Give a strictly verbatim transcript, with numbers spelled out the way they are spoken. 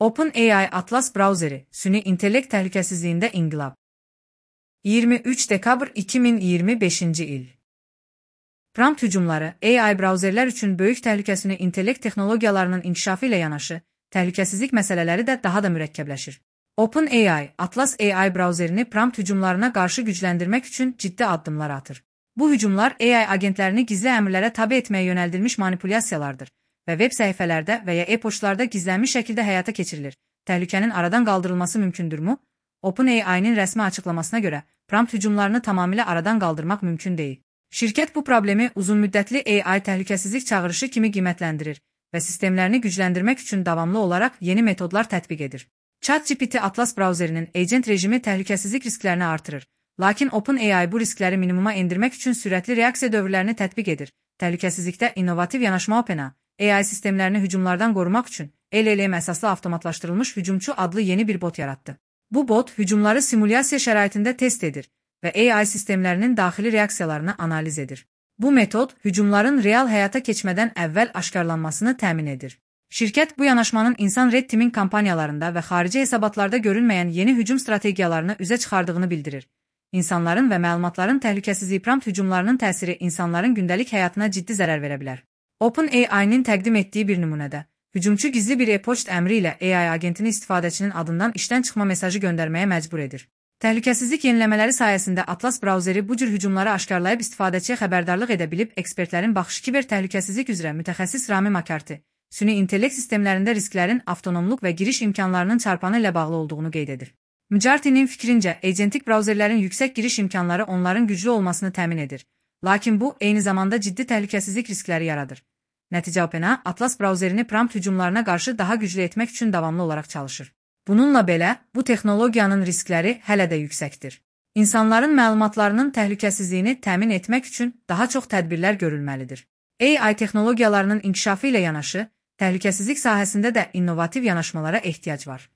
OpenAI Atlas brauzeri, süni intellekt təhlükəsizliyində inqilab. iyirmi üç dekabr iki min iyirmi beşinci il. Prompt hücumları, A I brauzerlər üçün böyük təhlükəsini intellekt texnologiyalarının inkişafı ilə yanaşı, təhlükəsizlik məsələləri də daha da mürəkkəbləşir. OpenAI Atlas A I brauzerini prompt hücumlarına qarşı gücləndirmək üçün ciddi addımlar atır. Bu hücumlar A I agentlərini gizli əmrlərə tabe etməyə yönəldilmiş manipulyasiyalardır və veb səhifələrdə və ya e-poçtlarda gizlənmiş şəkildə həyata keçirilir. Təhlükənin aradan qaldırılması mümkündürmü? OpenAI-nin rəsmi açıqlamasına görə, prompt hücumlarını tamamilə aradan qaldırmaq mümkün deyil. Şirkət bu problemi uzunmüddətli A I təhlükəsizlik çağırışı kimi qiymətləndirir və sistemlərini gücləndirmək üçün davamlı olaraq yeni metodlar tətbiq edir. ChatGPT Atlas brauzerinin agent rejimi təhlükəsizlik risklərini artırır, lakin OpenAI bu riskləri minimuma endirmək üçün sürətli reaksiya dövrlərini tətbiq edir. Təhlükəsizlikdə innovativ yanaşma OpenAI, A I sistemlərini hücumlardan qorumaq üçün L L M əsaslı avtomatlaşdırılmış hücumçu adlı yeni bir bot yaratdı. Bu bot hücumları simulyasiya şəraitində test edir və A I sistemlərinin daxili reaksiyalarını analiz edir. Bu metod hücumların real həyata keçmədən əvvəl aşkarlanmasını təmin edir. Şirkət bu yanaşmanın insan Red Team'in kampaniyalarında və xarici hesabatlarda görünməyən yeni hücum strategiyalarını üzə çıxardığını bildirir. İnsanların və məlumatların təhlükəsizliyi prompt hücumlarının təsiri insanların gündəlik həyatına ciddi zərər verə bilər. OpenAI-nin təqdim etdiyi bir nümunədə, hücumçu gizli bir e-poçt əmri ilə A I agentini istifadəçinin adından işdən çıxma mesajı göndərməyə məcbur edir. Təhlükəsizlik yeniləmələri sayəsində Atlas brauzeri bu cür hücumları aşkarlayıb istifadəçiyə xəbərdarlıq edə bilib, ekspertlərin baxışı kiber təhlükəsizlik üzrə mütəxəssis Rami Makarti, süni intellekt sistemlərində risklərin avtonomluq və giriş imkanlarının çarpanı ilə bağlı olduğunu qeyd edir. Makartinin fikrincə, agentik brauzerlərin yüksək giriş imkanları onların güclü olmasını təmin edir, lakin bu, eyni zamanda ciddi təhlükəsizlik riskləri yaradır. Nəticə OpenAI Atlas brauzerini prompt hücumlarına qarşı daha güclü etmək üçün davamlı olaraq çalışır. Bununla belə, bu texnologiyanın riskləri hələ də yüksəkdir. İnsanların məlumatlarının təhlükəsizliyini təmin etmək üçün daha çox tədbirlər görülməlidir. A I texnologiyalarının inkişafı ilə yanaşı, təhlükəsizlik sahəsində də innovativ yanaşmalara ehtiyac var.